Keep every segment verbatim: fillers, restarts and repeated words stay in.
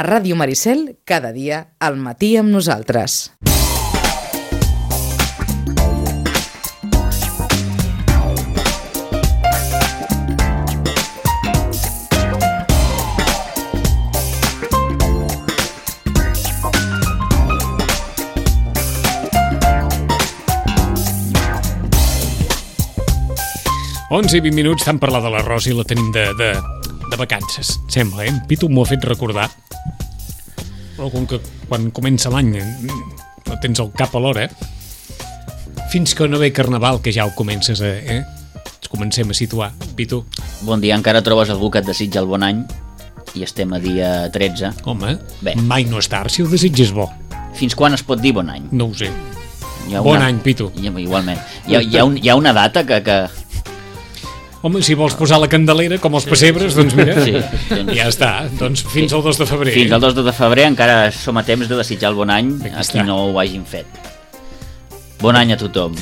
A Ràdio Maricel, cada dia, al matí amb nosaltres. onze i vint minuts, tant parlar de l'arròs i la tenim de, de, de vacances, sembla, eh? Pitu m'ho ha fet recordar. Però com que quan comença l'any no tens el cap a l'hora, fins que no ve Carnaval, que ja ho comences a... Eh? Ens comencem a situar. Pitu. Bon dia, encara trobes algú que et desitja el bon any i estem a dia tretze. Home, Bé. mai no és tard si el desitges bo. Fins quan es pot dir bon any? No ho sé. Hi ha Bon una... any, Pitu. Hi ha, igualment. Hi ha, hi, ha un, hi ha una data que... que... Home, si vols posar la candelera, com els pessebres, doncs mira, Sí, doncs- ja està. Doncs fins al dos de febrer. Fins al dos de febrer encara som a temps de desitjar el bon any Aquí a està. qui no ho hagin fet. Bon any a tothom.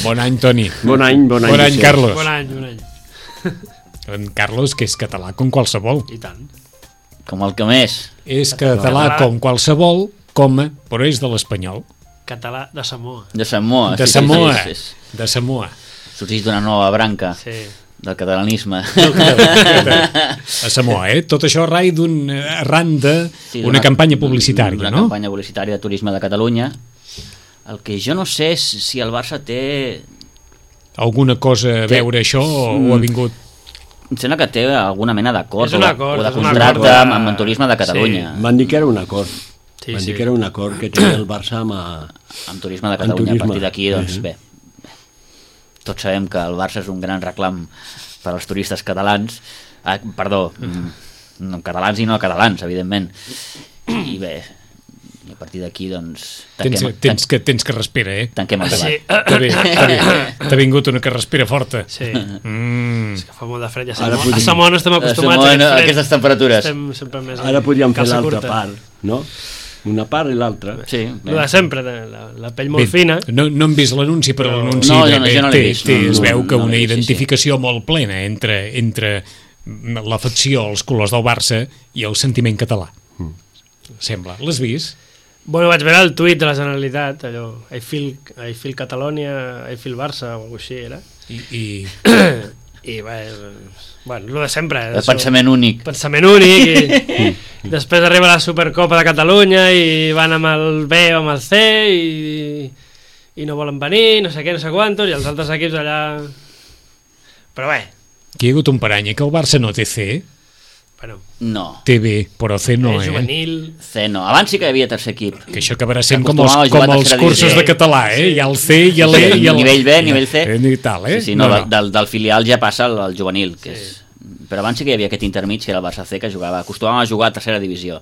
Bon any, Toni. Bon any, bon any. Bon any, sí. Carlos. Bon any, bon any. En Carlos, que és català com qualsevol. I tant. Com el que més. És català Català. com qualsevol, coma, però és de l'espanyol. Català de Samoa. De Samoa. De sí, sí, Samoa. sí, sí, sí. De Samoa. Sorgeix d'una nova branca Sí. del catalanisme. A Samoa, eh? Tot això rai d'un, arran Sí, d'una d'una- campanya publicitària, Una no? campanya publicitària de turisme de Catalunya. El que jo no sé és si el Barça té... Alguna cosa a Té- veure això o, Mm. o ha vingut... Em sembla que té alguna mena d'acord És un acord, o de és un contracte acord de- amb, amb el turisme de Catalunya. Van dir que era un acord. Sí, Van sí. dir que era un acord que tenia el Barça amb... A... Amb turisme de Amb Catalunya. turisme. A partir d'aquí, doncs, Mhm. bé, tots sabem que el Barça és un gran reclam per als turistes catalans. Ah, perdó, mm, no catalans i no catalans, evidentment. I bé, i a partir d'aquí, doncs... Tens, tanquem- tens, que, tens carraspera, eh? Tanquem el debat. Sí. T'ha ve- t'ha ve- t'ha vingut una carraspera forta. Sí. Mm. És que fa molt de fred. Ja Ara Samoa, podríem- a Samoa no estem acostumats Samoa, a no, aquest fred. aquestes temperatures. Estem sempre més... Ara podríem fer calça l'altra curta. part, no? Una part i l'altra. Sí, Lo de sempre, la, la pell molt Bé, fina. no, no hem vist l'anunci, però No. l'anunci No, bé, jo no- bé, jo no l'he té, vist, té, no, es no, veu que no l'he una vist, sí, identificació molt plena entre, entre l'afecció als colors del Barça i el sentiment català. Sembla. L'has vist? Bueno, vaig veure el tuit de la Generalitat, allò, I feel, I feel Catalonia, I feel Barça, o alguna cosa així era. I, i... I bé, bueno, lo de sempre. El pensament únic. Pensament únic, i després arriba la Supercopa de Catalunya i van amb el B o amb el C i, i no volen venir, no sé què, no sé quantos, i els altres equips allà... Però bé, Aquí hi ha hagut un parany, eh, que el Barça no té C, bueno, No, té B, però C no, és eh? juvenil... C no. Abans sí que hi havia tercer equip. Que això acabarà sent com els, Acostumava a jugar com a els tercera cursos divisió. de català, eh? Hi ha el C, hi ha l'E, Sí, hi ha el... nivell B, nivell C. I tal, eh? Sí, sí, no, no. Del, del filial ja passa al, al juvenil, que Sí. és... Però abans sí que hi havia aquest intermig, que era el Barça C, que jugava, acostumava a jugar a tercera divisió.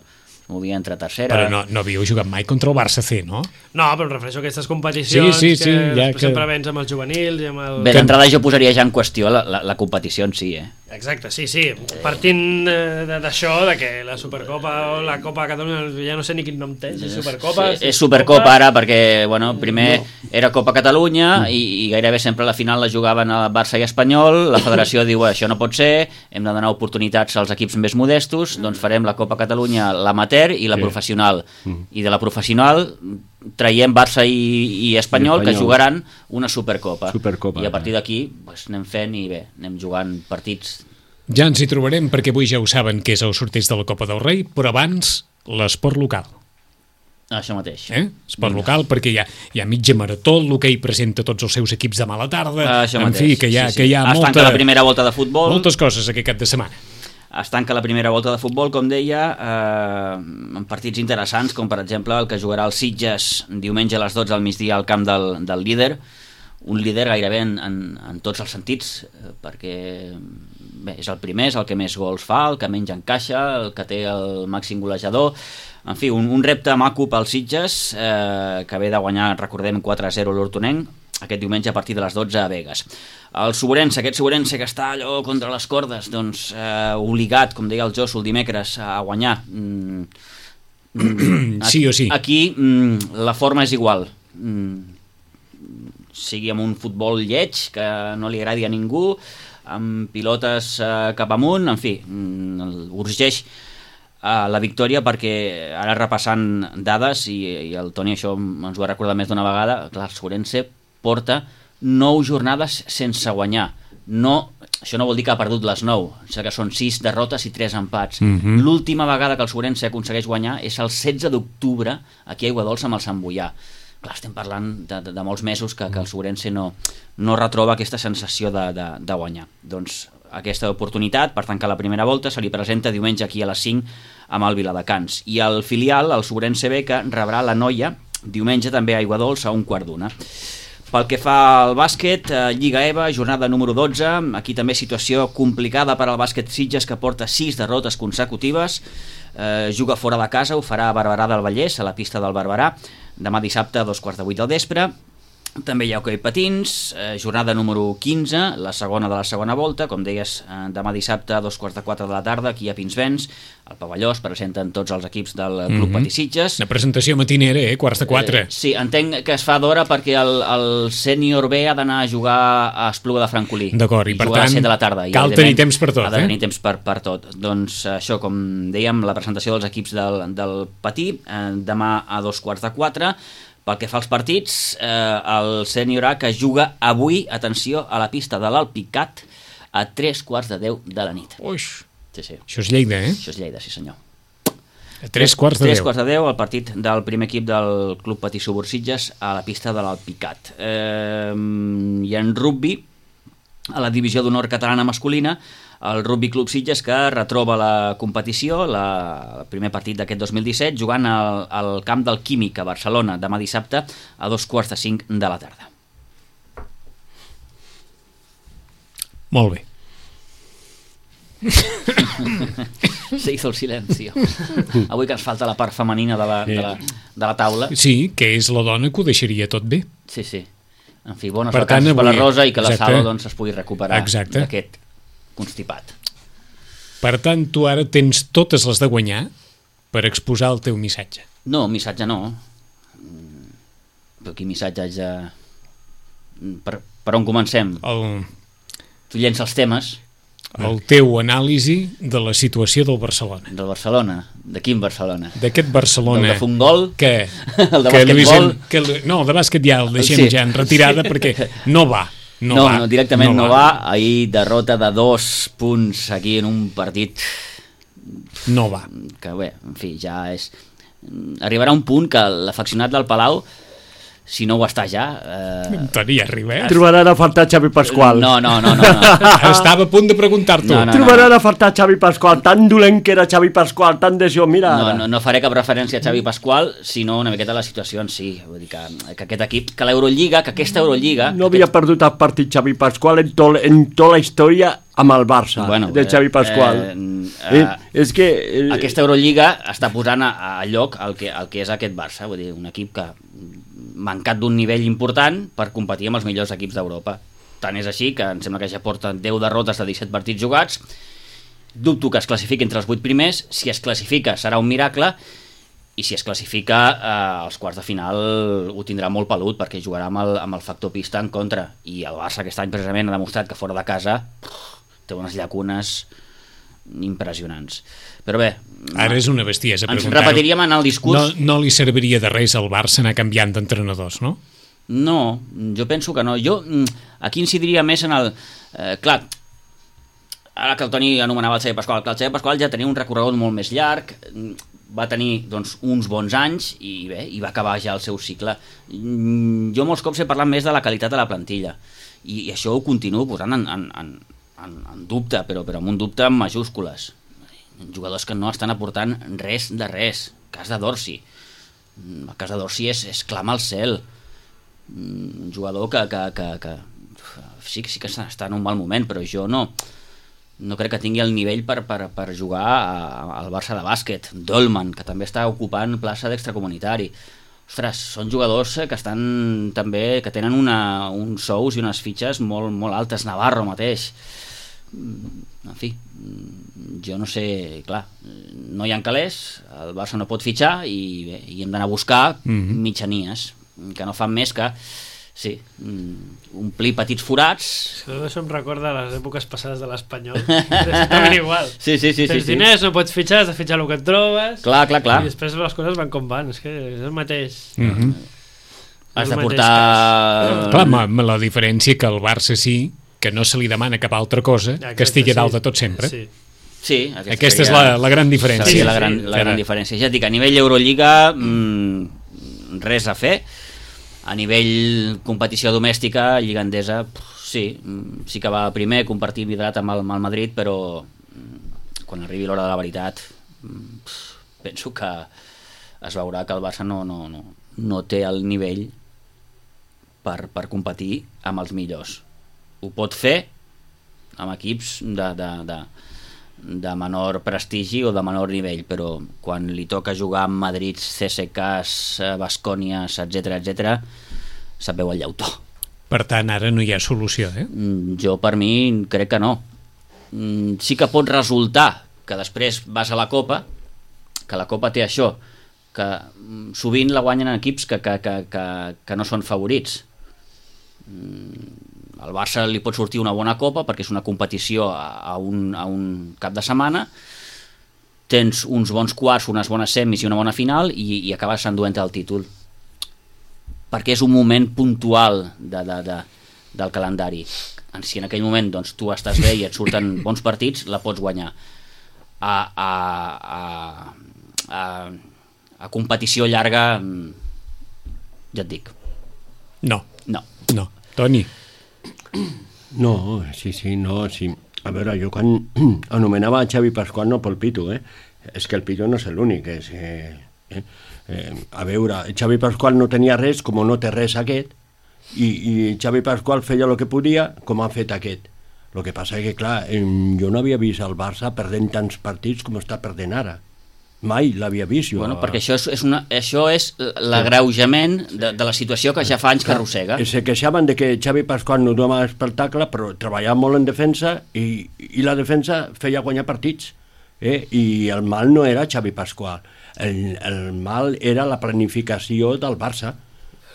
Movia entre tercera... Però no, no havíeu jugat mai contra el Barça C, no? No, però em refereixo a aquestes competicions Sí, sí, sí, que ja després que- sempre vens amb els juvenils i amb el... Bé, d'entrada jo posaria ja en qüestió la, la, la competició en si, eh? Exacte, sí, sí. Partint eh, de- d'això, de que la Supercopa o la Copa de Catalunya, ja no sé ni quin nom té, si Supercopa... Sí, si és Supercopa ara perquè, bueno, primer era Copa Catalunya i, i gairebé sempre la final la jugaven a Barça i Espanyol, la federació diu això no pot ser, hem de donar oportunitats als equips més modestos, doncs farem la Copa Catalunya l'amateur i la Sí. professional. I de la professional traiem Barça i, i Espanyol, I que Espanyol. jugaran una Supercopa. Supercopa, I a partir d'aquí pues, anem fent i bé, anem jugant partits. Ja ens hi trobarem perquè avui ja ho saben que és el sorteig de la Copa del Rei, però abans l'esport local. Això mateix. Eh? Esport local, perquè hi ha, hi ha mitja marató, l'hoquei presenta tots els seus equips demà a la tarda, Això en mateix. fi, que hi ha, Sí, sí. que hi ha Es molta, tanca la primera volta de futbol. moltes coses aquest cap de setmana. Es tanca la primera volta de futbol, com deia, eh, amb partits interessants, com per exemple el que jugarà el Sitges diumenge a les dotze al migdia al camp del, del líder, un líder gairebé en, en, en tots els sentits, eh, perquè bé, és el primer, és el que més gols fa, el que menys encaixa, el que té el màxim golejador, en fi, un, un repte maco pel Sitges, eh, que ve de guanyar, recordem, quatre a zero l'Hortonenc, aquest diumenge a partir de les dotze a Begues. El Suborense, aquest Suborense que està allò contra les cordes, doncs eh, obligat, com deia el Josu el dimecres, a guanyar. Mm, mm, Sí o sí. Aquí mm, la forma és igual. Mm, sigui amb un futbol lleig, que no li agradi a ningú, amb pilotes eh, cap amunt, en fi, mm, urgeix a la victòria, perquè ara repassant dades, i, i el Toni això ens ho ha recordat més d'una vegada, clar, el Ourense porta nou jornades sense guanyar. No, això no vol dir que ha perdut les nou, o sigui que són sis derrotes i tres empats. Mm-hmm. L'última vegada que el Ourense aconsegueix guanyar és el setze d'octubre aquí a Aiguadols amb el Sant Boià. Clar, estem parlant de, de, de molts mesos que, que el Ourense no, no retroba aquesta sensació de, de, de guanyar. Doncs aquesta oportunitat per tancar la primera volta se li presenta diumenge aquí a les cinc amb el Viladecans. I el filial, el Ourense B, que rebrà la Noia diumenge també a Aiguadols a un quart d'una. Pel que fa al bàsquet, eh, Lliga E V A, jornada número dotze, aquí també situació complicada per al bàsquet Sitges, que porta sis derrotes consecutives, eh, juga fora de casa, ho farà a Barberà del Vallès, a la pista del Barberà, demà dissabte a dos quarts de vuit del vespre. També hi ha hoquei patins, eh, jornada número quinze, la segona de la segona volta, com deies, eh, demà dissabte a dos quarts de quatre de la tarda, aquí a Pinsbens, al pavelló es presenten tots els equips del Club Mm-hmm. Patí Sitges. Una presentació matinera, eh? Quarts de quatre. Eh, sí, entenc que es fa d'hora perquè el, el sènior B ha d'anar a jugar a Espluga de Francolí. D'acord, i per juga a les tant, set de la tarda, i cal òbviament tenir temps per tot, ha de tenir eh? temps per, per tot. Doncs això, com dèiem, la presentació dels equips del, del Patí, eh, demà a dos quarts de quatre. Pel que fa als partits, eh, el sènior A, que juga avui, atenció, a la pista de l'Alpicat a tres quarts de deu de la nit. Uix, Sí, sí. això és Lleida, eh? Això és Lleida, sí senyor. A tres quarts de Tres deu. quarts de deu, el partit del primer equip del Club Patí Subursitges a la pista de l'Alpicat. Eh, I en rugby, a la divisió d'honor catalana masculina, el Rugby Club Sitges, que retroba la competició, la, el primer partit d'aquest dos mil disset, jugant al, al camp del Químic a Barcelona, demà dissabte a dos quarts de cinc de la tarda. Molt bé. Se hizo el silencio. Avui que ens falta la part femenina de la, de la, de la taula. Sí, que és la dona que ho deixaria tot bé. Sí, sí. En fi, bones Per tant, vacances per la avui- Rosa i que la exacte. Sala doncs, es pugui recuperar Exacte. d'aquest constipat. Per tant, tu ara tens totes les de guanyar per exposar el teu missatge. No, missatge no. Mm, Però quin missatge haig de... Per, per on comencem? El, Tu llença els temes el teu anàlisi de la situació del Barcelona. del Barcelona. De quin Barcelona? D'aquest Barcelona... Del de Fungol? Que, El de que Luis basquetbol? en- que, Lu- no, el de bàsquet ja el deixem Sí. ja en retirada perquè no va. No, No, va, no, directament no, no va. Ahir derrota de dos punts aquí en un partit No va. que bé, en fi, ja és... Arribarà un punt que l'afeccionat del Palau, si no ho està ja... Eh... Toni, arriba, eh? Trobaran a faltar Xavi Pasqual. No, no, no, no, no. Estava a punt de preguntar-t'ho. No, no. Trobaran a faltar Xavi Pasqual. Tan dolent que era Xavi Pasqual, tan desió. Mira No, ara. no, no faré cap referència a Xavi Pasqual, sinó una miqueta a la situació en si. Vull dir que, que aquest equip, que l'Eurolliga, que aquesta Eurolliga... No havia perdut el partit Xavi Pasqual en, to, en tota la història amb el Barça, Bueno, de Xavi Pasqual. eh, Eh, eh, és que... Eh, Aquesta Eurolliga està posant a, a lloc el que, el que és aquest Barça, vull dir, un equip que mancat d'un nivell important per competir amb els millors equips d'Europa. Tant és així que em sembla que ja porta deu derrotes de disset partits jugats. Dubto que es classifiqui entre els vuit primers. Si es classifica serà un miracle, i si es classifica eh, als quarts de final ho tindrà molt pelut, perquè jugarà amb el, amb el factor pista en contra, i el Barça aquest any precisament ha demostrat que fora de casa té unes llacunes impressionants. Però bé, Ara és una bestiesa ens preguntar-ho. repetiríem en el discurs. No, no li serviria de res al Barça anar canviant d'entrenadors, no? No, jo penso que no. Jo mm, aquí incidiria més en el... Eh, clar, ara que el Toni anomenava el Xavi Pasqual, clar, el Xavi Pasqual ja tenia un recorregut molt més llarg, mm, va tenir doncs, uns bons anys i bé, i va acabar ja el seu cicle. Mm, Jo molts cops he parlat més de la qualitat de la plantilla, i, i això ho continuo posant en, en, en, en, en dubte, però, però amb un dubte en majúscules. Jugadors que no estan aportant res de res. El cas de Dorsi. Mm, El cas de Dorsi és, és clama al cel. Un jugador que, que, que, que sí, sí que està en un mal moment, però jo no no crec que tingui el nivell per, per, per jugar a, al Barça de bàsquet. Dolman, que també està ocupant plaça d'extracomunitari. Ostres, són jugadors que estan també, que tenen una, uns sous i unes fitxes molt, molt altes. Navarro mateix. En fi, jo no sé, clar, no hi ha calés, el Barça no pot fitxar i, bé, i hem d'anar a buscar Mhm. mitjanies que no fan més que sí, mm, omplir petits forats. Això em recorda les èpoques passades de l'Espanyol. És totalment igual. Sí, sí, sí. Tens sí, diners, sí. no pots fitxar, has de fitxar el que et trobes. Clar, clar, clar. I després les coses van com van, és que és el mateix. Mm -hmm. Has de portar... Clar, amb la diferència que el Barça sí, que no se li demana cap altra cosa, Exacte, que estigui sí. dalt de tot sempre. Sí. Sí, aquesta, Aquesta és la, la gran diferència. Sí, Sí, la sí, gran, sí. la gran diferència. Ja et dic, a nivell Eurolliga, mmm, res a fer. A nivell competició domèstica, lliga endesa, pff, sí, sí que va primer compartir vidrat amb el, amb el Madrid, però mm, quan arribi l'hora de la veritat, pff, penso que es veurà que el Barça no, no, no, no té el nivell per, per competir amb els millors. Ho pot fer amb equips de, de, de, de menor prestigi o de menor nivell, però quan li toca jugar amb Madrid, C S K s, Baskonias, etcètera, etcètera, se't veu el llautó. Per tant, ara no hi ha solució, eh? Jo, per mi, crec que no. Sí que pot resultar que després vas a la Copa, que la Copa té això, que sovint la guanyen equips que, que, que, que, que no són favorits. Al Barça li pot sortir una bona Copa perquè és una competició a un, a un cap de setmana, tens uns bons quarts, unes bones semis i una bona final i, i acabes enduent el títol, perquè és un moment puntual de, de, de, del calendari. Si en aquell moment doncs, tu estàs bé i et surten bons partits, la pots guanyar. A, a, a, a, a competició llarga, ja et dic, No, no. no. Toni? No, sí, sí, no, sí. A veure, jo quan anomenava Xavi Pascual no pel Pitu, eh? És que el Pitu no és l'únic, és... Eh, eh, eh, a veure, Xavi Pascual no tenia res, com no té res aquest, i, i Xavi Pascual feia el que podia, com ha fet aquest. El que passa és que, clar, eh, jo no havia vist el Barça perdent tants partits com està perdent ara. Mai l'havia vist jo. Bueno, perquè això és, és, una, això és l'agreujament de, de la situació que ja fa anys que arrossega. Se queixaven de que Xavi Pascual no donava espectacle, però treballava molt en defensa i, i la defensa feia guanyar partits. Eh? I el mal no era Xavi Pascual, el, el mal era la planificació del Barça.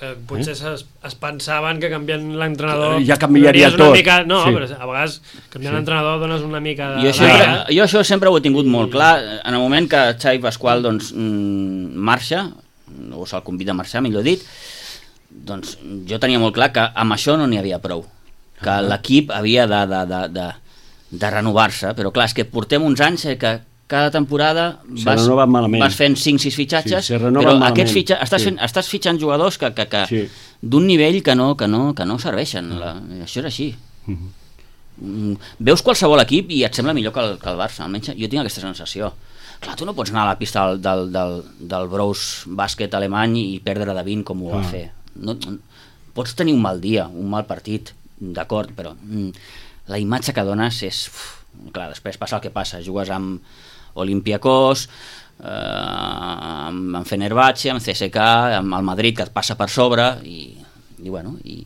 Eh, potser eh? es, es pensaven que canviant l'entrenador ja canviaria donaries una tot. Mica, no, Sí. però a vegades canviant sí. l'entrenador dones una mica de... Jo això, de... jo això sempre ho he tingut molt clar. En el moment que Xavi Pascual doncs, mm, marxa, o se'l convida a marxar, millor dit, doncs jo tenia molt clar que amb això no n'hi havia prou, que uh -huh. l'equip havia de, de, de, de, de renovar-se, però clar, és que portem uns anys eh, que cada temporada vas, vas fent cinc sis fitxatges, sí, però malament. aquests fitxa, estàs, sí. fent, estàs fitxant jugadors que, que, que sí. d'un nivell que no, que no, que no serveixen. La, això és així. Uh-huh. Veus qualsevol equip i et sembla millor que el, que el Barça, almenys jo tinc aquesta sensació. Clar, tu no pots anar a la pista del, del, del, del Brous bàsquet alemany i perdre de vint com ho va uh. fer. No, no, pots tenir un mal dia, un mal partit, d'acord, però mm, la imatge que dones és... Uf, clar, després passa el que passa, jugues amb Olympiacos, eh, amb, amb Fenerbahce, amb C S K, amb el Madrid, que et passa per sobre i, i, bueno, i,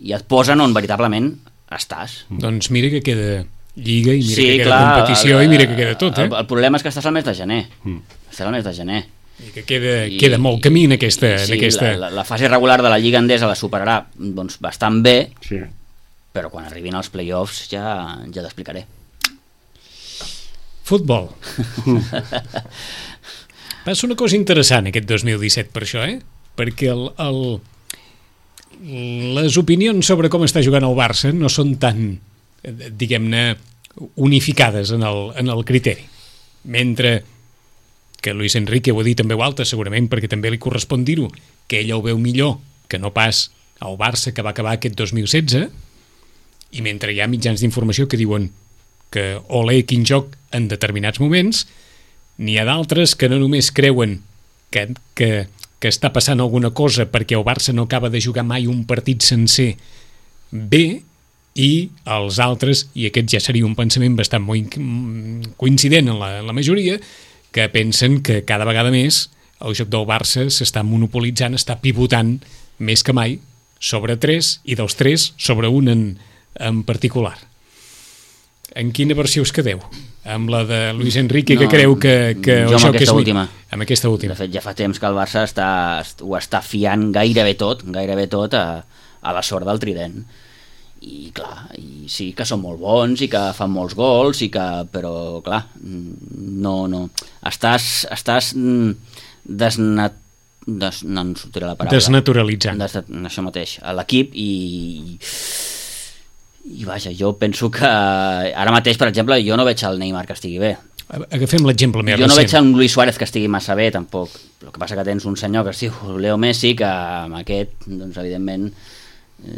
i et posen on veritablement estàs. Doncs mira que queda lliga i mira sí, que queda clar, competició el, i mira que queda tot, eh? El, el problema és que estàs al mes de gener. Mm. Estàs al mes de gener. I que queda, I, queda molt camí en aquesta... Sí, en aquesta... La, la, la fase regular de la Lliga Endesa la superarà doncs, bastant bé, sí. però quan arribin els play-offs ja, ja t'explicaré. Futbol. Passa una cosa interessant aquest dos mil disset per això, eh? Perquè el, el, les opinions sobre com està jugant el Barça no són tan, diguem-ne, unificades en el, en el criteri. Mentre que Luis Enrique ho ha dit en veu alta, segurament perquè també li correspon dir-ho, que ell ho veu millor que no pas el Barça que va acabar aquest dos mil setze, i mentre hi ha mitjans d'informació que diuen que olé quin joc en determinats moments, n'hi ha d'altres que no només creuen que, que, que està passant alguna cosa perquè el Barça no acaba de jugar mai un partit sencer bé, i els altres, i aquest ja seria un pensament bastant molt coincident en la, en la majoria, que pensen que cada vegada més el joc del Barça s'està monopolitzant, està pivotant més que mai sobre tres, i dels tres sobre un en, en particular. En quina versió us quedeu? Amb la de Luis Enrique, no, que creu que, que jo el joc és... última. Amb aquesta última. De fet, ja fa temps que el Barça està, ho està fiant gairebé tot, gairebé tot a, a la sort del Trident. I clar, i sí que són molt bons i que fan molts gols, i que, però clar, no, no. Estàs, estàs desnat, des, no em sortirà la paraula. Desnaturalitzant. Des, això mateix, a l'equip, i, i vaja, jo penso que ara mateix, per exemple, jo no veig el Neymar que estigui bé. Agafem l'exemple més jo recent. Jo no veig un Luis Suárez que estigui massa bé, tampoc. El que passa que tens un senyor que es diu Leo Messi, que amb aquest, doncs, evidentment,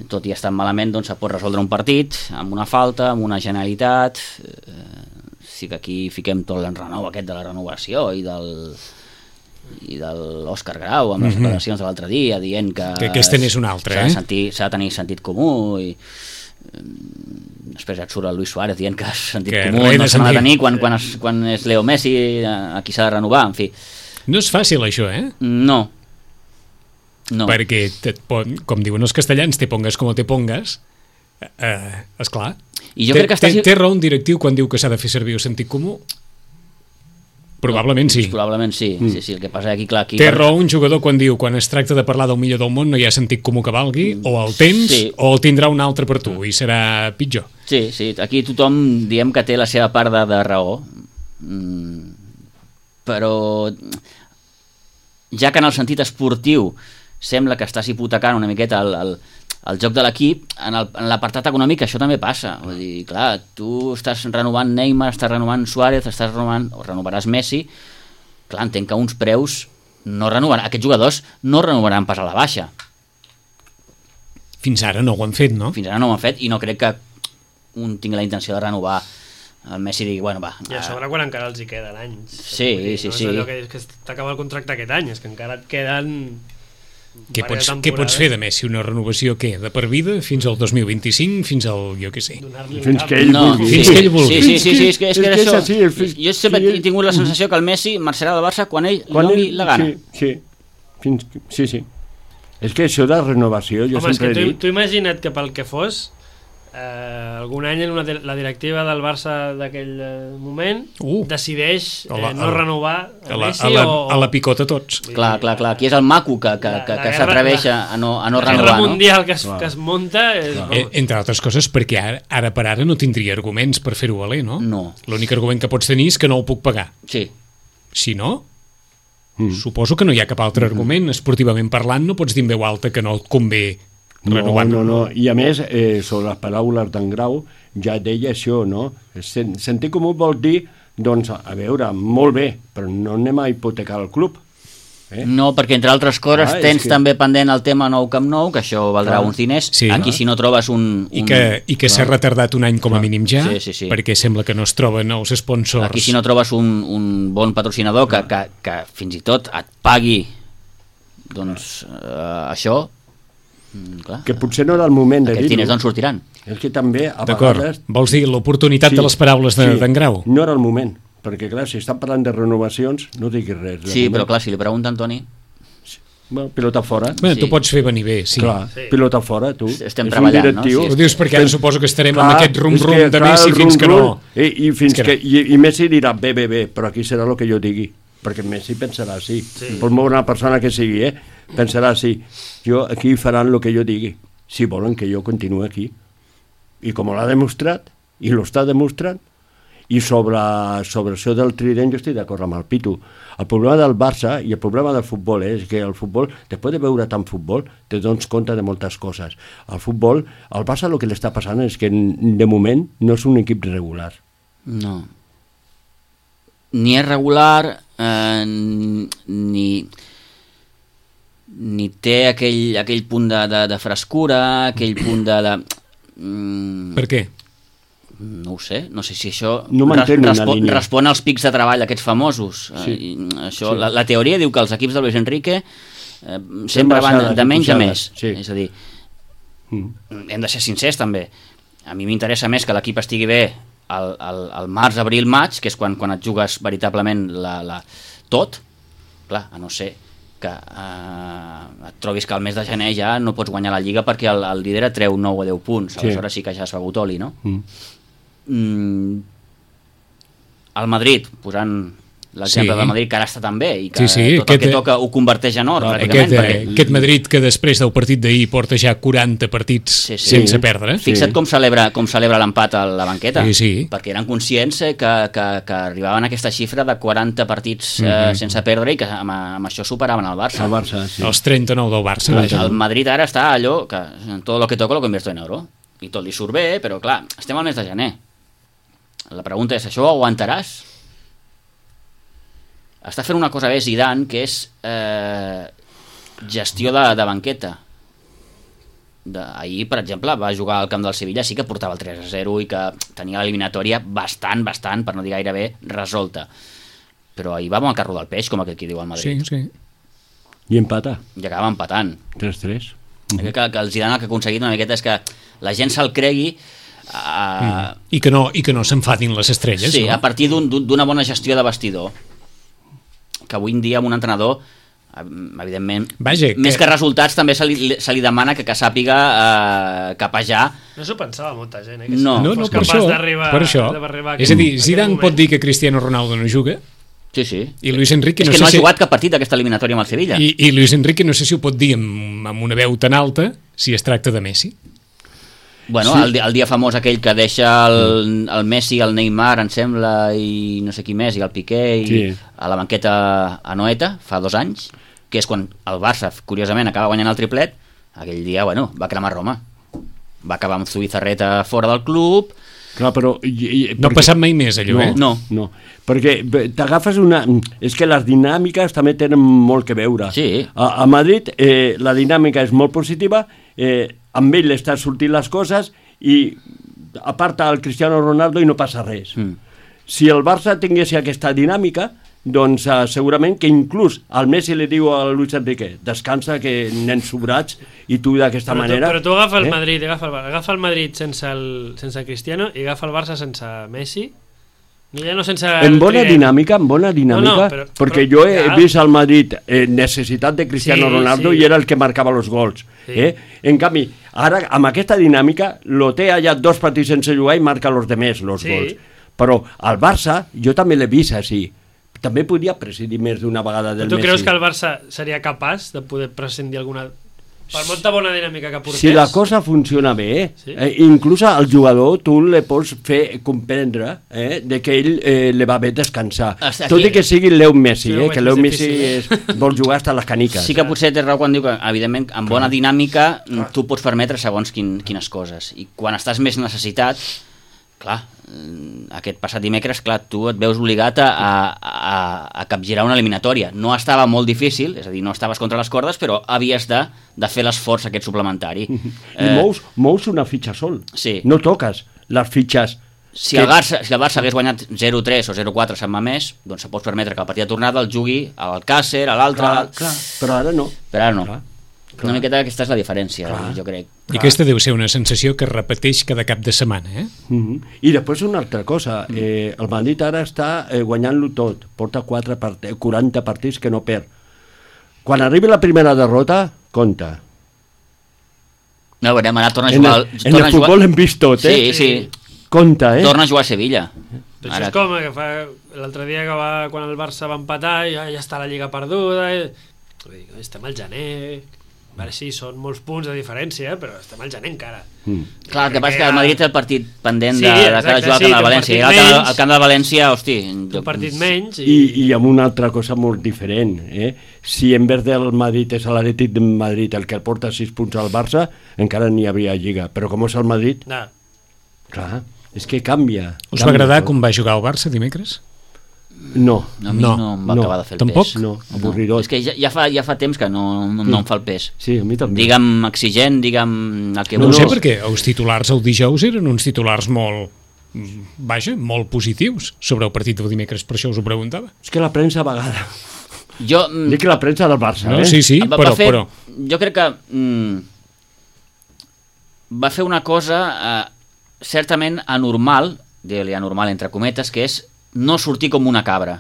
tot i estar malament, doncs, se pot resoldre un partit amb una falta, amb una genialitat. Eh, sí que aquí fiquem tot l'enrenou aquest de la renovació i del i de l'Òscar Grau amb les mm-hmm. declaracions de l'altre dia dient que, que aquesta n'és una altra, s'ha eh? de, sentir, s'ha de tenir sentit comú, i eh, després ja et surt el Luis Suárez dient que sentit que comú no s'ha de tenir quan, eh. quan, es, quan és Leo Messi, a qui s'ha de renovar, en fi. No és fàcil això, eh? No. No. Perquè, te, com diuen els castellans, te pongas com te pongas, eh, esclar. I jo té, crec que estàs... té, té raó un directiu quan diu que s'ha de fer servir el sentit comú? Probablement sí. Probablement sí. Mm. sí, sí. El que passa aquí, clar... Aquí té per... raó un jugador quan diu quan es tracta de parlar del millor del món no hi ha sentit comú que valgui, o el tens sí. o el tindrà un altre per tu i serà pitjor. Sí, sí. Aquí tothom diem que té la seva part de, de raó. Mm. Però ja que en el sentit esportiu sembla que estàs hipotecant una miqueta el, el, el joc de l'equip, en, el, en l'apartat econòmic això també passa. Vull dir, clar, tu estàs renovant Neymar, estàs renovant Suárez, estàs renovant, o renovaràs Messi, clar, entenc que uns preus no renovaran, aquests jugadors no renovaran pas a la baixa. Fins ara no ho han fet, no? Fins ara no ho han fet, i no crec que un tingui la intenció de renovar. El Messi digui, bueno, va... I a sobre quan encara els hi queden anys. Sí, dir, sí, no sí. és allò que dius que t'acaba el contracte aquest any, és que encara et queden... Què pots, què pots fer de Messi? Una renovació què? De per vida? Fins al dos mil vint-i-cinc? Fins al, jo què sé... Fins que ell no, vulgui. Fins sí, que ell vulgui. Sí, sí, sí, sí, és que, és que, és és que això... és així, fins, jo sempre he tingut la sensació que el Messi marxarà del Barça quan ell quan li doni ell, la gana. Sí, sí. Fins, sí, sí. És que això de renovació, jo Home, sempre és que he tu, dit... tu imagina't que pel que fos, eh, algun any en una, la directiva del Barça d'aquell eh, moment Uh. decideix eh, A la- no a la- renovar A a la, Messi a la, o... a la picota tots. Clar, clar, clar. Aquí és el maco que, que, La- que, la que guerra- s'atreveix la- a no, a no la guerra renovar, no? mundial que es, Clar. que es munta és, Eh, entre altres coses perquè ara, ara per ara no tindria arguments per fer-ho valer, no? No. L'únic argument que pots tenir és que no ho puc pagar. Sí. Si no, Mm. suposo que no hi ha cap altre argument. Esportivament parlant no pots dir en veu alta que no et convé No, renovar. no, no. I a més, eh, sobre les paraules d'en Grau, ja deia això, no? Sen sentir comú vol dir, doncs, a veure, molt bé, però no anem a hipotecar el club. Eh? No, perquè entre altres coses Ah, és tens que- també pendent el tema Nou Camp Nou, que això valdrà Clar. uns diners. Sí. Aquí si no trobes un... un... I que, i que s'ha retardat un any com a mínim ja, Sí, sí, sí. perquè sembla que no es troben els sponsors. Aquí si no trobes un, un bon patrocinador que, que, que fins i tot et pagui doncs eh, això, mm, clar, Que potser no era el moment de aquests dir-ho. diners d'on sortiran? És que també, a D'acord, vegades... vols dir l'oportunitat de les paraules de- d'en Grau? No era el moment, perquè clar, si estan parlant de renovacions, no diguis res. de Sí, moment. però clar, si li pregunta Antoni, Bueno, pilota fora. Bé, Sí. tu pots fer venir bé, sí. Clar, Sí. pilota fora, tu. Estem És treballant, un directiu. no? Sí, Ho dius perquè ara suposo que estarem amb aquest és rum-rum que, de clar, Messi el fins que no... rum-rum, I, i, fins que que, no. i, i Messi dirà bé, bé, bé, però aquí serà el que jo digui, perquè Messi pensarà així. Sí. Per molt bona persona que sigui, eh? pensarà així. Jo, aquí faran el que jo digui, si volen que jo continuï aquí. I com l'ha demostrat, i lo està demostrant, i sobre, sobre això del Trident jo estic d'acord amb el Pitu. El problema del Barça i el problema del futbol és que el futbol, després de veure tant futbol, te dones compte de moltes coses. El futbol, al Barça el que li està passant és que de moment no és un equip regular. no. Ni és regular, eh, ni ni té aquell, aquell punt de, de, de frescura, aquell punt de... de mm, Per què? no ho sé, no sé si això No mantén una respon, línia. respon als pics de treball aquests famosos. Sí. Eh, i això, Sí. la, la teoria diu que els equips de Luis Enrique eh, sempre van baixades de i menys a pujades, més. sí. És a dir, Mm. hem de ser sincers també. A mi m'interessa més que l'equip estigui bé al, al, al març, abril, maig, que és quan, quan et jugues veritablement la, la, tot, clar, a no ser que eh, et trobis que al mes de gener ja no pots guanyar la Lliga perquè el, el líder et treu nou o deu punts, Sí. aleshores sí que ja has begut oli, no? Mm. Mm, el Madrid, posant l'exemple Sí. del Madrid, que ara està tan bé, i que Sí, sí, tot aquest- el que toca ho converteix en or, Aquest, pràcticament. eh, perquè- aquest Madrid que després del partit d'ahir porta ja quaranta partits Sí, sí. sense Sí. perdre. Fixa't com celebra, com celebra l'empat a la banqueta, Sí, sí. perquè eren conscients eh, que, que, que arribaven a aquesta xifra de quaranta partits eh, Mhm. sense perdre i que amb, amb això superaven el Barça. El Barça, sí. Els trenta-nou del Barça. El, vaja. el Madrid ara està allò que tot el que toca lo convierto en euro, i tot li surt bé, però clar, estem al mes de gener. La pregunta és, això ho aguantaràs? Està fent una cosa bé Zidane, que és eh, gestió de, de banqueta. De, ahir, per exemple, va jugar al camp del Sevilla, sí que portava el tres a zero i que tenia l'eliminatòria bastant, bastant, per no dir gairebé, resolta. Però ahir va amb el carro del peix, com aquell que diu al Sí, Madrid. sí. I empata, I acaba empatant. tres tres. Mm-hmm. Que, que el Zidane el que ha aconseguit una miqueta és que la gent se'l cregui uh, I que no, i que no s'enfadin les estrelles, sí, no? a partir d'un- d'un- d'una bona gestió de vestidor, que avui en dia amb un entrenador eh, evidentment, Vaja, més que- que resultats també se li, se li demana que, que sàpiga eh, capejar. No s'ho pensava molta gent, eh? Que No. No, fos no, per capaç això, d'arribar- per això. d'arribar a És a dir, aquest- a Zidane aquest pot moment. dir que Cristiano Ronaldo no juga Sí, sí. i Luis Enrique És no que sé no ha si... jugat cap partit d'aquesta eliminatòria amb el Sevilla. I, I Luis Enrique no sé si ho pot dir amb, amb una veu tan alta si es tracta de Messi. Bueno, Sí. el, di- el dia famós aquell que deixa el, el Messi, el Neymar, em sembla, i no sé qui més, i el Piqué, i Sí. a la banqueta a Noeta, fa dos anys, que és quan el Barça, curiosament, acaba guanyant el triplet, aquell dia, bueno, va cremar Roma. Va acabar amb Zubizarreta fora del club. Clar, però... I, i, No ha passat mai més, allò, no, eh? No. no, perquè bé, t'agafes una... És que les dinàmiques també tenen molt que veure. Sí. A, a Madrid eh, la dinàmica és molt positiva, eh, amb ell estan sortint les coses i aparta el Cristiano Ronaldo i no passa res. Mm. Si el Barça tingués aquesta dinàmica, doncs eh, segurament que inclús el Messi li diu a Luis Enrique descansa que nens sobrats i tu d'aquesta Però tu, manera... però tu agafa el eh? Madrid, agafa el, Barça, agafa el Madrid sense el, sense Cristiano i agafa el Barça sense Messi. No, ja no sense En el bona trident. dinàmica, en bona dinàmica, No, no, però- perquè però- jo he ja. vist al Madrid eh, necessitat de Cristiano Sí, Ronaldo sí. i era el que marcava els gols. Sí. Eh? En canvi, ara, amb aquesta dinàmica, lo té allà dos partits sense jugar i marca els demés, els Sí. gols. Però al Barça, jo també l'he vist així. També podia presidir més d'una vegada del Tu Messi. creus que el Barça seria capaç de poder prescindir alguna... Per molta bona dinàmica que portés? Si la cosa funciona bé, Sí. eh, inclús al jugador tu le pots fer comprendre eh, de que ell eh, le va bé descansar. Hasta Tot aquí. i que sigui Leo Messi, Sí, eh, ho que és Leo més Messi difícil, és, vol jugar hasta les caniques. Sí que potser té raó quan diu que, evidentment, amb bona dinàmica tu pots permetre segons quin, quines coses. I quan estàs més necessitat, clar, mm, aquest passat dimecres, clar, tu et veus obligat a, a, a capgirar una eliminatòria. No estava molt difícil, és a dir, no estaves contra les cordes, però havies de, de fer l'esforç aquest suplementari. I mous, mous una fitxa sol. Sí. No toques les fitxes. Si el, Barça, si el Barça hagués guanyat zero tres o zero quatre a Sant Mamés, doncs se pot permetre que el partit de tornada el jugui a l'Alcàcer, a l'altre... Clar, clar, però ara no. Però ara no. Clar, Una miqueta aquesta és la diferència, Clar. jo crec. I aquesta deu ser una sensació que es repeteix cada cap de setmana, eh? Uh -huh. I després una altra cosa, eh, el Madrid ara està eh, guanyant-lo tot, porta quatre part quaranta partits que no perd. Quan arribi la primera derrota, compta. No, veurem, ara torna a En jugar... el, en torna el a jugar... futbol hem vist tot, eh? Sí, sí, Compta, eh? torna a jugar a Sevilla. Però això Ara... és com que fa l'altre dia que va, quan el Barça va empatar i ja, ja està la Lliga perduda i... Vull dir, estem al gener, a veure, sí, són molts punts de diferència, però estem al gener encara. Mm. Clar, el que passa és que el Madrid té el partit pendent Sí, de, de exacte, cada jugar sí, al camp del té un València. I partit al camp, menys. al camp del València, hosti... Un partit menys i... I, I amb una altra cosa molt diferent, eh? Si en vez del Madrid és l'Atlètic de Madrid el que el porta sis punts al Barça, encara n'hi havia Lliga. Però com és el Madrid, No. clar, és que canvia. Us va canvia agradar tot. com va jugar el Barça dimecres? No, A mi No, no, em va no, acabar de fer el tampoc? pes. no, avorridor. És que ja, ja, fa, ja fa temps que no, no, no em fa el pes. Sí, a mi també. Digue'm exigent, digue'm el que No, no, vulguis. sé, perquè els titulars el dijous eren uns titulars molt, vaja, molt positius sobre el partit del dimecres, per això us ho preguntava. És que la premsa a vegada... Jo, mm, Dic la premsa del Barça, No, eh? sí, sí, va, però... va fer, però... jo crec que mm, va fer una cosa eh, certament anormal, digue-li anormal entre cometes, que és no sortir com una cabra.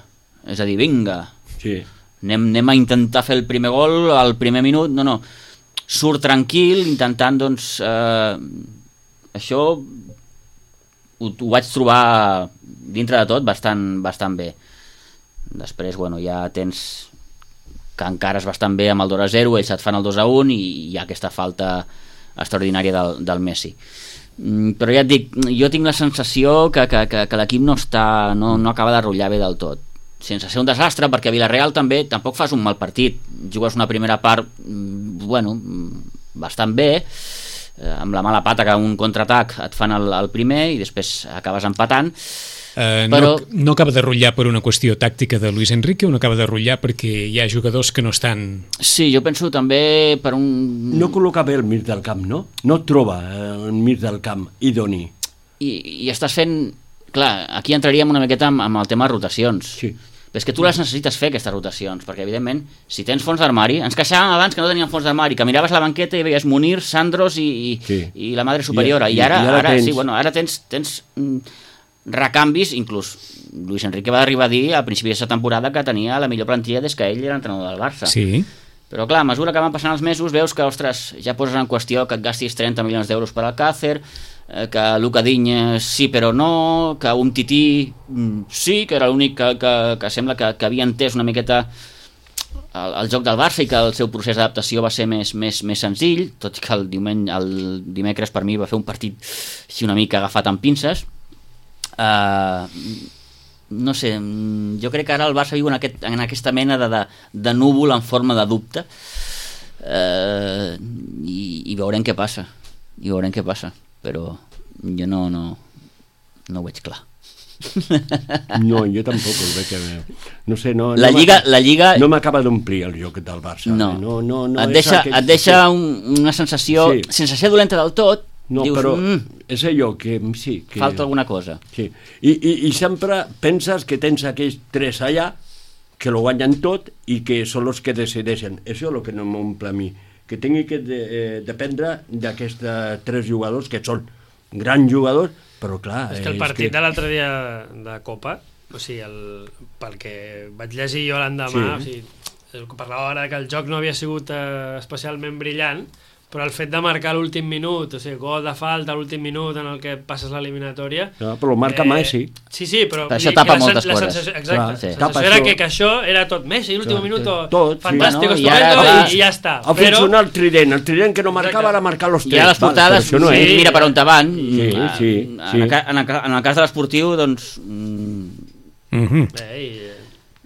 És a dir, vinga, Sí. anem, anem a intentar fer el primer gol al primer minut. No, no, surt tranquil, intentant, doncs, eh, això ho, ho vaig trobar dintre de tot bastant, bastant bé. Després, bueno, ja tens que encara es bastant bé amb el dos a zero, ells et fan el dos a un i hi ha aquesta falta extraordinària del, del Messi. Mm, però ja et dic, jo tinc la sensació que, que, que, que l'equip no, està, no, no acaba de rotllar bé del tot, sense ser un desastre, perquè a Villarreal també tampoc fas un mal partit, jugues una primera part bueno, bastant bé, eh, amb la mala pata que un contraatac et fan el, el primer i després acabes empatant. Uh, Però... no, no acaba de rotllar per una qüestió tàctica de Luis Enrique o no acaba de rotllar perquè hi ha jugadors que no estan... Sí, jo penso també per un... No col·loca bé el mig del camp, no? No et troba el mig del camp idoni. I, i estàs fent... Clar, aquí entraríem una miqueta amb, amb el tema de rotacions. Sí. Però és que tu les necessites fer, aquestes rotacions, perquè, evidentment, si tens fons d'armari... Ens queixàvem abans que no teníem fons d'armari, que miraves la banqueta i veies Munir, Sandros i, i, Sí. i la Madre Superiora. I, I- I ara, i ara ara, tens- sí, bueno, ara tens, tens mm, recanvis, inclús Luis Enrique va arribar a dir a principi d'aquesta temporada que tenia la millor plantilla des que ell era entrenador del Barça. Sí. Però clar, a mesura que van passant els mesos veus que, ostres, ja poses en qüestió que et gastis trenta milions d'euros per al Càcer, eh, que Luka Digne sí però no, que un Tití mm, sí, que era l'únic que, que, que sembla que, que havia entès una miqueta el, el joc del Barça i que el seu procés d'adaptació va ser més, més, més senzill, tot i que el, diumenge, el dimecres per mi va fer un partit així una mica agafat amb pinces. Uh, no sé, jo crec que ara el Barça viu en, aquest, en aquesta mena de, de, de núvol en forma de dubte, uh, i, i veurem què passa i veurem què passa, però jo no, no, no ho veig clar. No, jo tampoc el veig. eh, No sé, no... La no Lliga, m'acaba- la Lliga No m'acaba d'omplir el joc del Barça. no, eh, no, no, no et és deixa, aquest- et deixa un, una sensació, Sí. sense ser dolenta del tot, No, dius, però mm, és allò que sí... Que... falta alguna cosa. Sí. I, i, I sempre penses que tens aquells tres allà que lo guanyen tot i que són els que decideixen. Això és el que no m'omple a mi. Que tingui que de, eh, dependre d'aquests tres jugadors que són grans jugadors, però clar... És que el partit de l'altre dia de Copa, o sigui, el, pel que vaig llegir jo l'endemà, Sí. o sigui, parlava ara que el joc no havia sigut eh, especialment brillant, però el fet de marcar l'últim minut, o sigui, gol de falta a l'últim minut en el que passes l'eliminatòria... No, però marca Messi. Sí, sí, però... Però això vull dir tapa que la moltes sen- la coses. sensació- Exacte, Clar, la sí. sensació Tapa era això. que, que això era tot Messi, l'últim Clar, minut, tot, sí. fantàstic, Bueno, i estupendo, ara va- i, i ja està. Ha funcionat el trident, el trident que no marcava Exacte. ara marcar los I tres. a les Val, portades, però això no sí, és. mira per on te van. Sí, Mm, sí, en, sí. el, ca- en, el, ca- en el cas de l'esportiu, doncs... mm, Mm-hmm. Eh, i,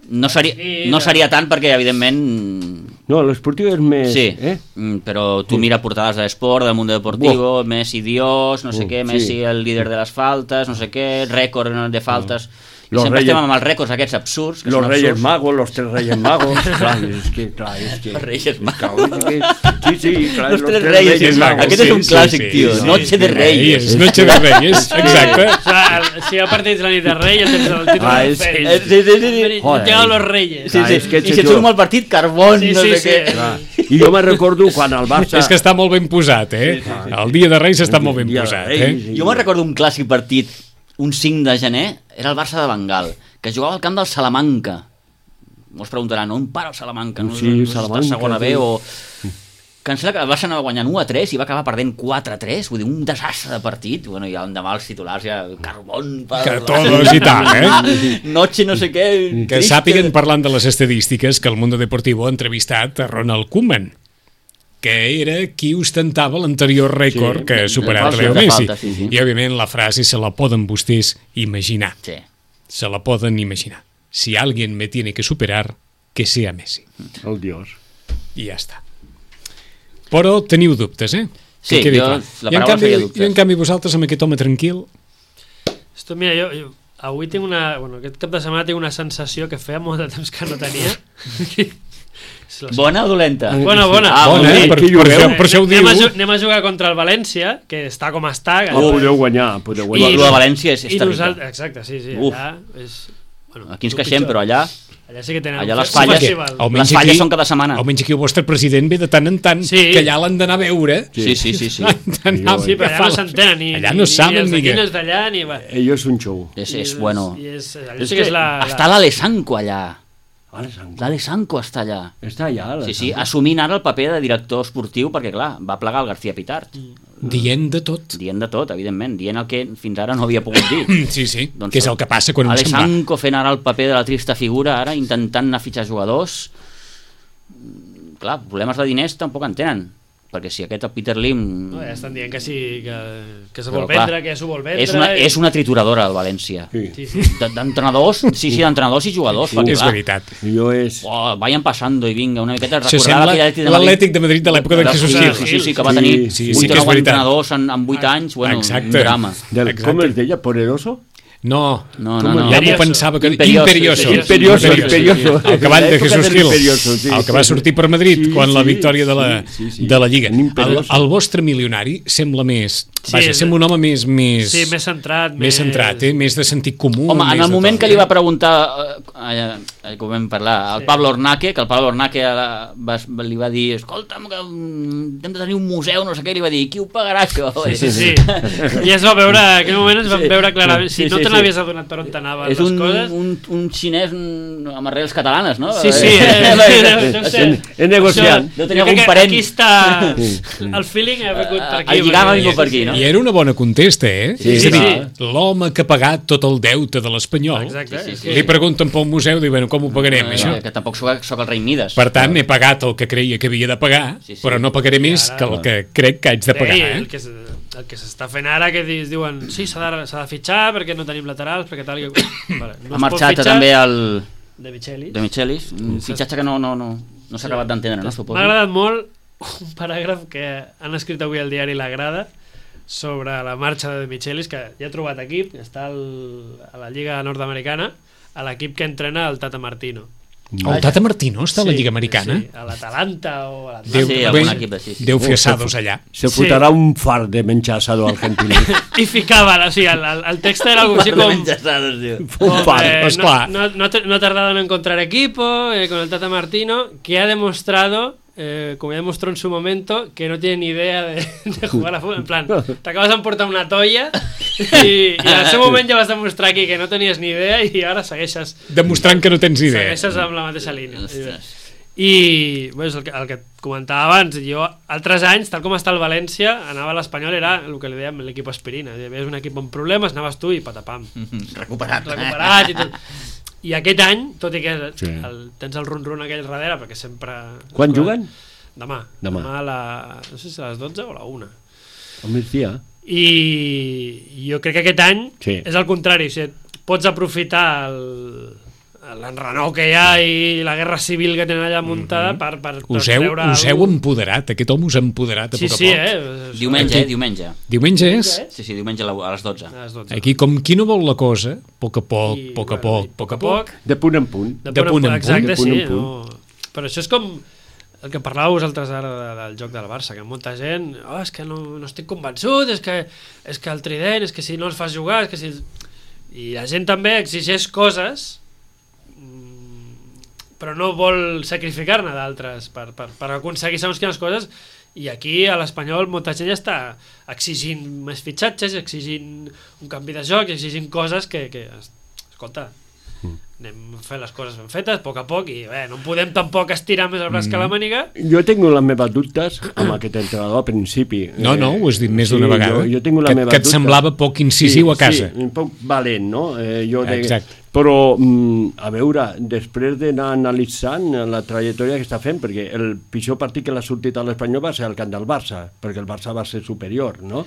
no seria, no seria tant perquè, evidentment... No, l'esportiu és més... Sí, Eh? mm, però tu mira portades d'Esport, del Mundo Deportivo, Messi Dios, no sé Uh, què, sí. Messi el líder de les faltes, no sé què, rècord de faltes... I Los sempre Reyes- estem amb els rècords aquests absurds, que Los són Reyes absurds. Magos, los tres Reyes Magos. Clar, és que, clar, és que... Los Reyes Magos. Claro, és que- Sí, sí, clar, Los tres Reyes Magos. Aquest és un clàssic, tio. Noche de Reyes. Noche de Reyes, exacte. o sea, el, si hi ha partits la nit de Rei, el temps del títol Ah, del és- Fènix. Eh, sí, sí, sí, sí. Han llegado los Reyes. Sí, Ah, sí. és que I si ets et surt jo. mal partit, carbón, Sí, no sí, sé sí. què. Clar. I jo me recordo quan el Barça... És que està molt ben posat, eh? El dia de Reis està molt ben Dia de posat, Reis, eh? sí. Jo me'n recordo un clàssic partit, un cinc de gener, era el Barça de Bengal, que jugava al camp del Salamanca. Molts preguntaran, on para el Salamanca? No, Sí, no, no, Salamanca, està a segona sí. B o... Que em sembla que el Barça anava guanyant u a tres i va acabar perdent quatre a tres, vull dir, un desastre de partit. Bueno, i l'endemà els titulars ja, carbón... Per... Que todos i tal, eh? Noche no sé què... Que triste. sàpiguen, parlant de les estadístiques, que el Mundo Deportivo ha entrevistat a Ronald Koeman, que era qui ostentava l'anterior rècord Sí, que ha superat de Leo falta, de Messi. falta, sí, sí. I, òbviament, la frase se la poden vostès imaginar. Sí. Se la poden imaginar. Si alguien me tiene que superar, que sea Messi. El Dios. I ja està. Però teniu dubtes, eh? Sí, Que quedi jo- clar. la I en paraula canvi, seria dubtes. I en canvi vosaltres, amb aquest home tranquil, Esto, mira, jo, jo avui tinc una... Bueno, aquest cap de setmana tinc una sensació que feia molt de temps que no tenia. És la- Bona o dolenta? Bona, bona. Ah, bona, molt eh? bé. Per, Qui per, jugueu? això, per això ho anem, diu. a, ju- anem a jugar contra el València, que està com està. Que Oh, podeu guanyar, podeu Lo, guanyar. lo de València és, és i terrible. nosaltres, exacte, sí, sí, Uf. allà és... Bueno, Aquí ens el queixem, pitjor. però allà... Allà sí que tenen allà un les fe- un falles- festival. Almenys Les falles aquí- són cada setmana. Almenys aquí el vostre president ve de tant en tant, Sí. que allà l'han d'anar a veure. Sí, sí, sí, sí. L'han d'anar a Sí, però allà no s'entenen ni, Allà ni, no saben ni els ni d'aquí què. ni els d'allà ni... Va. Ello és un show. És, I és bueno. I és, allà És sí que és la... Està l'Alessanco allà. Alessandro. L'Alessanco està allà. Està allà, Sí, sí, l'Alessandro. assumint ara el paper de director esportiu perquè, clar, va plegar el García Pitart. Dient de tot. Dient de tot, evidentment, dient el que fins ara no havia pogut dir. Sí, sí, doncs, que és el que passa quan un se'n va. Alessanco fent ara el paper de la trista figura, ara intentant anar a fitxar jugadors. Clar, problemes de diners tampoc en tenen, perquè si aquest el Peter Lim... No, ja estan dient que sí, que, que s'ho Però, vol vendre, clar, que s'ho vol vendre... És una, i... és una trituradora, el València. Sí. Sí, sí. D- D'entrenadors, sí, sí, d'entrenadors i jugadors. Sí, perquè, és clar, veritat. Jo és... Oh, vayan pasando i vinga, una miqueta Se recordar sembla aquell Atlètic de Madrid. l'Atlètic de Madrid de l'època de Jesús sí, Gil. sí, sí, sí, que va tenir Sí, sí, vuit sí o que és nou veritat. entrenadors en, en vuit anys, bueno, Exacte. un drama. Del, Exacte. com es deia? Poderoso? No, No, Com no, no. ja m'ho Imperioso. pensava que... Imperioso, Imperioso. Imperioso, imperioso. El cavall de L'època Jesús de Gil, l'Imperioso, sí, el que sí. va sortir per Madrid Sí, quan la sí, victòria de la, sí, sí, sí. de la Lliga. El, L'Imperioso. el vostre milionari sembla més... Sí, Vaja, és- sembla un home més... més Sí, més centrat. més centrat, eh? Més de sentit comú. Home, en més el de moment tot, que li eh? va preguntar, eh, eh, que ho vam parlar, al Pablo Ornaque, que el Pablo Ornaque va, li va dir, escolta'm, que mm, hem de tenir un museu, no sé què, i li va dir, qui ho pagarà això? Sí, sí. I es va veure, en aquell moment es va Sí. veure clarament, si Sí, no sí, te sí. n'havies adonat per on t'anaven És les un, coses... un, un xinès mm, amb arrels catalanes, no? Sí, sí, eh, no sé. En- en negociant. Deu tenir Jo crec algun que parent. Aquí està... El feeling ha vingut per aquí. El lligam ha perquè- vingut per aquí, no? I era una bona contesta, eh? Sí, és a dir, sí. l'home que ha pagat tot el deute de l'Espanyol, Exacte. Sí, sí, és sí. que- li pregunten pel museu, diuen, bueno, com ho pagarem, Eh, això? Que tampoc soc, soc el rei Mides. Per tant, he pagat el que creia que havia de pagar, Sí, sí. però no pagaré més ara- que el que crec que haig de pagar, Sí, eh? el que, s- el que s'està fent ara, que dis- diuen, sí, s'ha de, s'ha de fitxar perquè no tenim laterals, perquè tal... Que... Vale, no ha es pot marxat fitxar també el de Michelis. de Michelis, un fitxatge que no, no, no, no s'ha acabat d'entendre, no? Suposo. M'ha agradat molt un paràgraf que han escrit avui al diari La Grada sobre la marxa de Michelis, que ja ha trobat equip, que està al, a la Lliga Nord-Americana, a l'equip que entrena el Tata Martino. El Tata Martino està a la Sí, Lliga Americana? Sí, a l'Atalanta o a Déu, l'Atlanta. Sí, bé, algun equip així, sí. Déu fer assados allà. Se Sí. fotrà un far de menjar asado argentino. I ficaven, o sigui, el, el, el text era algo així com... Un com, far. eh, pues no, clar. no, no, te- no ha tardado en encontrar equipo eh, con el Tata Martino, que ha demostrado, eh, como ya demostró en su momento, que no tiene ni idea de, de jugar a fútbol. En plan, t'acabes d'emportar una tolla i, i en el seu moment ja vas demostrar aquí que no tenies ni idea i ara segueixes, Demostrant que no tens idea. segueixes amb la mateixa línia. Ostres. I bé, és el que, el que et comentava abans, jo altres anys, tal com està el València, anava a l'Espanyol, era el que li dèiem l'equip aspirina, és un equip amb problemes, anaves tu i patapam, Recuperat. recuperat i tot. I aquest any, tot i que Sí. el, tens el run-run aquell darrere, perquè sempre... Quan juguen? Demà. Demà. Demà a la... no sé si a les dotze o a la una. Al migdia. I jo crec que aquest any Sí. és el contrari, o sigui, pots aprofitar el l'enrenou que hi ha i la guerra civil que tenen allà muntada Mhm. per, per, per Us heu, treure us heu algú. empoderat, aquest home us ha empoderat a Sí, poc a sí, poc. eh? Diumenge, eh? Diumenge. Diumenge és? Sí, sí, diumenge a la- a les dotze. A les dotze. Aquí, com qui no vol la cosa, a poc a poc, I, a poc a bueno, poc, i a poc a poc, De punt en punt. De, De punt punt en en punt, exacte, punt, de punt sí. en punt. No. Però això és com el que parlàveu vosaltres ara de, del joc del Barça, que molta gent, oh, és que no, no estic convençut, és que, és que el trident, és que si no els fas jugar, és que si... I la gent també exigeix coses, mm, però no vol sacrificar-ne d'altres per, per, per aconseguir segons quines coses, i aquí a l'Espanyol molta gent ja està exigint més fitxatges, exigint un canvi de joc, exigint coses que, que escolta, anem a fer les coses ben fetes, a poc a poc, i bé, no podem tampoc estirar més el braç que la màniga. Jo tinc les meves dubtes amb aquest entrenador al principi. No, no, ho has dit més d'una vegada. Jo, jo tinc la que, meva que et dubtes. semblava poc incisiu a casa. Sí, un poc valent, no? Eh, jo de... Exacte. Però, mm, a veure, després d'anar analitzant la trajectòria que està fent, perquè el pitjor partit que l'ha sortit a l'Espanyol va ser el camp del Barça, perquè el Barça va ser superior, no?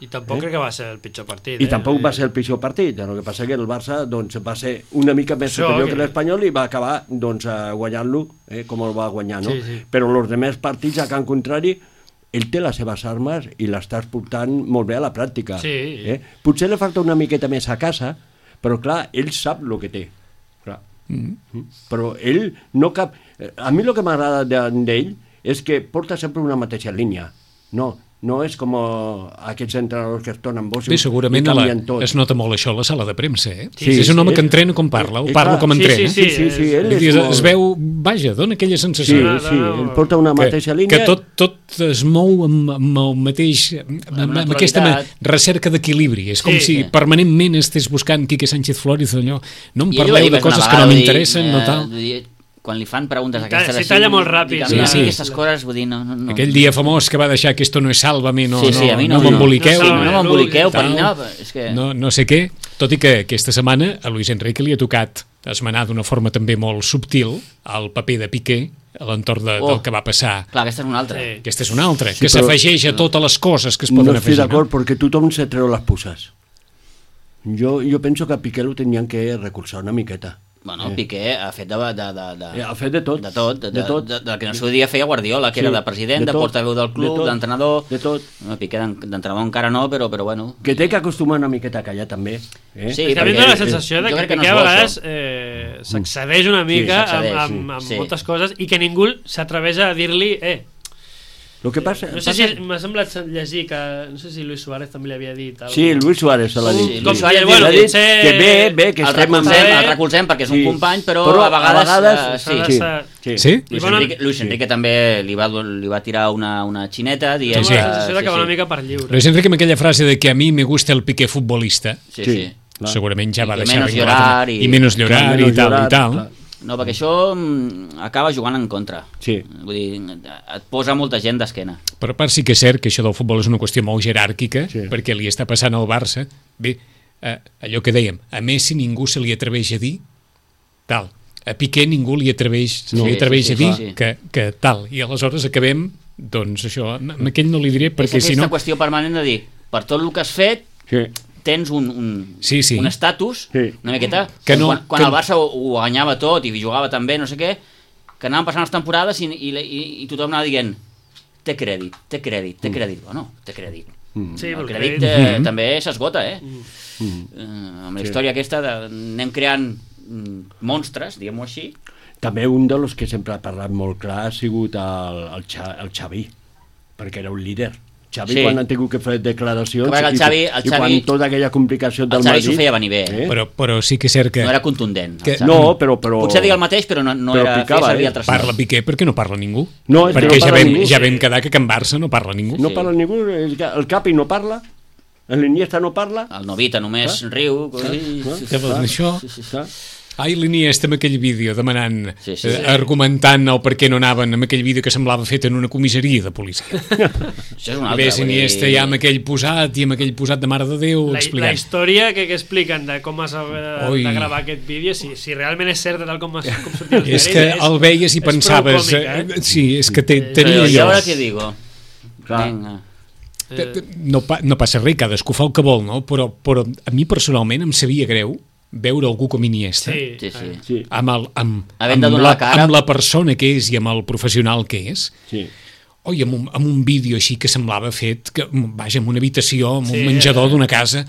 I tampoc eh? crec que va ser el pitjor partit. I eh? tampoc va ser el pitjor partit, el que passa que el Barça doncs, va ser una mica més Això, superior que- que l'Espanyol i va acabar doncs, eh, guanyant-lo, eh, com el va guanyar, no? Sí, sí. Però els demés partits, a Can Contrari, ell té les seves armes i l'estàs portant molt bé a la pràctica. Sí. Eh? Potser li falta una miqueta més a casa, però clar, ell sap el que té. Clar. Mm. Però ell no cap... A mi el que m'agrada de- d'ell és que porta sempre una mateixa línia. No, no és com aquests entrenadors que es tornen bons Bé, i segurament a la, canvien tot. es nota molt això a la sala de premsa, eh? Sí, és un home sí, que és- entrena com parla, o eh, parla clar, com sí, entrena. sí, Sí, sí, sí, és- ell Vull és dir, es, molt... es veu, vaja, dona aquella Sí, sensació. No, no, sí, no. ell porta una que, mateixa línia... que tot, tot es mou amb, amb el mateix amb, amb, amb aquesta naturalitat. recerca d'equilibri, és com Sí. si permanentment estés buscant Quique Sánchez Flores, allò, no em I ell ho parleu va dir de més una coses que vegada, no vull dir, m'interessen, no eh, tal. vull dir, quan li fan preguntes Ta- aquestes si així... talla molt ràpid. Sí, Sí, sí. Aquestes coses, vull dir, no... no, no. Aquell dia famós que va deixar que esto no es Sálvame, no, Sí, sí, a mi no, no, no, m'emboliqueu. Sí, no, no, no m'emboliqueu per Tal. no, és que... no, no sé què, tot i que aquesta setmana a Luis Enrique li ha tocat esmenar d'una forma també molt subtil el paper de Piqué a l'entorn de, Oh. del que va passar. Clar, aquesta és una altra. Sí. Aquesta és una altra, Sí, que però- s'afegeix a totes les coses que es No poden estoy afegir. d'acord porque tothom se treu les puces. Jo, jo penso que a Piqué lo tenien que recolzar una miqueta. Bueno, el Piqué ha fet de... de, de, de... Eh, ha fet de tot. De tot, de, De tot. De, de, de, que en el seu dia feia Guardiola, que Sí, era de president, de de, tot, portaveu del de club, tot, d'entrenador... de tot. No, Piqué d'en- d'entrenador encara no, però, però bueno... Que té que acostumar una miqueta a callar també. Eh? Sí, I també perquè- em dóna la sensació de jo que, crec que no Piqué és a bo, vegades això. eh, s'excedeix una mica s'excedeix, amb, amb, amb sí. moltes coses i que ningú s'atreveix a dir-li eh, Lo que passa... no sé si m'ha semblat llegir que no sé si Luis Suárez també li havia dit algo. Sí, Luis Suárez se l'ha Com- dit. com Luis que, Suárez bueno, l'ha dit potser que bé, bé, que El estem... recolzem, bé. el recolzem perquè és un Sí. company, però, Però a vegades... a vegades eh, s'ha de sí. ser- Sí. Sí? I Luis bona- Enrique, Luis Enrique també li va, li va tirar una, una xineta dient... Tinc Sí, la sí. sensació de que va una mica per lliure. Luis Enrique amb aquella frase de que a mi me gusta el Piqué futbolista, Sí, Sí. sí. Clar. segurament ja I va que deixar menos ben clar llorar també. i- I menos llorar Clar, i menos tal llorar, i tal. clar. No, perquè això mm, acaba jugant en contra. Sí. Vull dir, et posa molta gent d'esquena. Per part sí que és cert que això del futbol és una qüestió molt jeràrquica, Sí. perquè li està passant al Barça. Bé, eh, allò que dèiem, a Messi ningú se li atreveix a dir tal. A Piqué ningú li atreveix, se No. li Sí, atreveix sí, a sí, dir sí, sí. Que, que tal. I aleshores acabem, doncs això, amb aquell no li diré, És perquè aquesta si no... qüestió permanent de dir, per tot el que has fet, Sí. tens un, un, Sí, sí. un estatus, Sí. una miqueta, Que com no- quan, quan que- el Barça ho, ho guanyava tot i jugava tan bé, no sé què, que anaven passant les temporades i, i, i, i tothom anava dient té crèdit, té crèdit, té crèdit. Bueno, té crèdit. Sí, El el crèdit crèdit. eh, Mhm. també s'esgota, eh? Eh, amb la Sí. història aquesta de, anem creant mm, monstres, diguem-ho així. També un dels que sempre ha parlat molt clar ha sigut el, el, Xa, el Xavi, perquè era un líder. Xavi, Sí. quan han tingut que fer declaracions Que el i, Xavi- el i quan Xavi- tota aquella complicació del El Xavi Madrid... s'ho feia venir bé. Eh? Però, però sí que és cert que No era contundent. el Que- Xavi. No, però... però... Potser deia el mateix, però no, no però era picava, feia servir eh? altres parla noms. Piqué perquè no parla ningú. No, és que perquè no ja, parla vam, ningú, ja sí. vam quedar que Can Barça no parla ningú. No Sí. parla ningú, el, el Capi no parla, l'Iniesta no parla... El Novita només riu. Sí, clar. sí, Què vols dir, això? sí, sí, sí. Clar. Ai, l'Iniesta amb aquell vídeo demanant, Sí, sí, eh, sí. argumentant el per què no anaven amb aquell vídeo que semblava fet en una comissaria de policia. Això és un I altre. ves Iniesta ja amb aquell posat i amb aquell posat de Mare de Déu La, la explicant. història que, que expliquen de com es va Ui. de gravar aquest vídeo, si, si realment és cert de tal com, es, com sortia els És diaris, que el veies i és prou pensaves... còmic, eh? eh? Sí, és que té, Sí, tenia Però, I allò. ara què digo? Clar. Vinga. Eh, No, pa, no passa res, cadascú fa el que vol, no? Però, però a mi personalment em sabia greu veure algú com Iniesta sí, Sí, sí. eh, Sí, amb, el, amb, Havent de amb, donar la, la cara. amb la persona que és i amb el professional que és. sí. Oi, amb un, amb un vídeo així que semblava fet, que, vaja, en una habitació, en un Sí, menjador eh. d'una casa,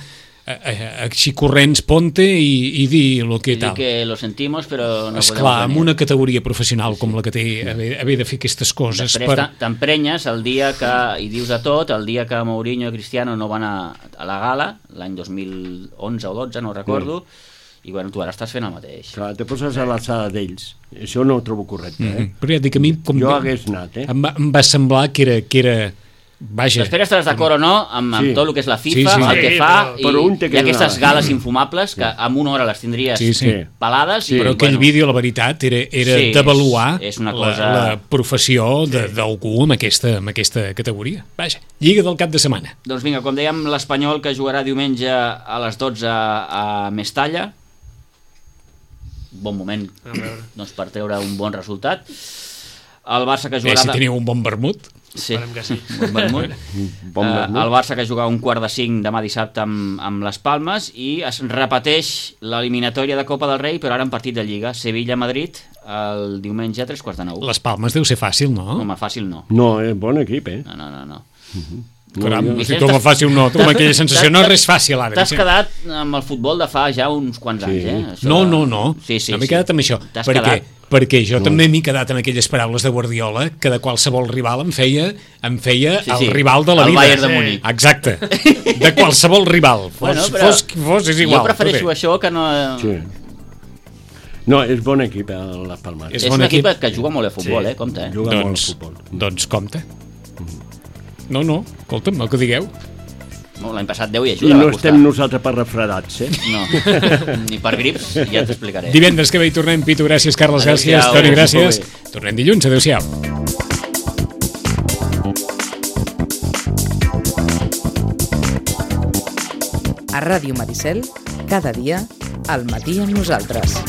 eh, eh, així corrents, ponte i, i dir el que I dir tal. que lo sentimos, però no Esclar, podem amb venir. una categoria professional com la que té, haver, haver de fer aquestes coses Després per... per... t'emprenyes el dia que, i dius a tot, el dia que Mourinho i Cristiano no van a, a la gala, l'any dos mil onze o dotze, no recordo, i bueno, tu ara estàs fent el mateix. Clar, te poses a l'alçada d'ells. Això no ho trobo correcte, eh? Mm, però ja et dic, a mi com Jo hagués anat, eh? em, va, em va semblar que era, que era vaja, Després estaràs d'acord o no amb, amb Sí. tot el que és la FIFA, Sí, sí. el que Sí, fa, però- i, però un té que i aquestes donar. gales infumables que amb una hora les tindries Sí, sí. pelades. I, però aquell vídeo, la veritat, era, era Sí, d'avaluar és- és una la, cosa- la professió de- d'algú amb, aquesta, amb aquesta categoria. Vaja, Lliga del cap de setmana. Doncs vinga, com dèiem, l'Espanyol que jugarà diumenge a les dotze a Mestalla. Bon moment A veure. doncs, per treure un bon resultat. El Barça que Bé, jugarà... si de- teniu un bon vermut. Sí, Esperem que sí. un bon vermut. Bon Eh, vermut. el Barça que juga un quart de cinc demà dissabte amb, amb les Palmes i es repeteix l'eliminatòria de Copa del Rei, però ara en partit de Lliga. Sevilla-Madrid el diumenge a tres quarts de nou. Les Palmes deu ser fàcil, no? Home, fàcil no. No, és bon equip, eh? No, no, no. no. Caram, jo- si Vicenç, tu me t'has- fàcil no, tu amb aquella sensació, no és res fàcil ara. T'has Vicenç. quedat amb el futbol de fa ja uns quants Sí. anys, eh? Això No, de- no, no, Sí, sí, no m'he sí. quedat amb això, T'has perquè, quedat. perquè jo No. també m'he quedat amb aquelles paraules de Guardiola, que de qualsevol rival em feia, em feia Sí, el sí, rival de la el vida. Bayern de Sí. Múnich. Exacte, de qualsevol rival, fos, Bueno, però fos qui fos, és igual. Jo prefereixo tot bé. això que no... Sí. No, és bon equip, eh, les Palmes. És És bon un equip equip. que juga molt a futbol, Sí. eh? Compte, eh? Juga molt al Doncs, futbol. doncs compte. No, no, escolta'm, el que digueu. No, l'any passat deu i I ajuda. no va costar. estem nosaltres per refredats, eh? No, ni per grips, ja t'explicaré. Divendres que ve hi tornem, Pitu, gràcies, Carles, Adéu-siau. gràcies, Toni, gràcies. Molt Tornem dilluns, adéu-siau. A Ràdio Maricel, cada dia, al matí amb nosaltres.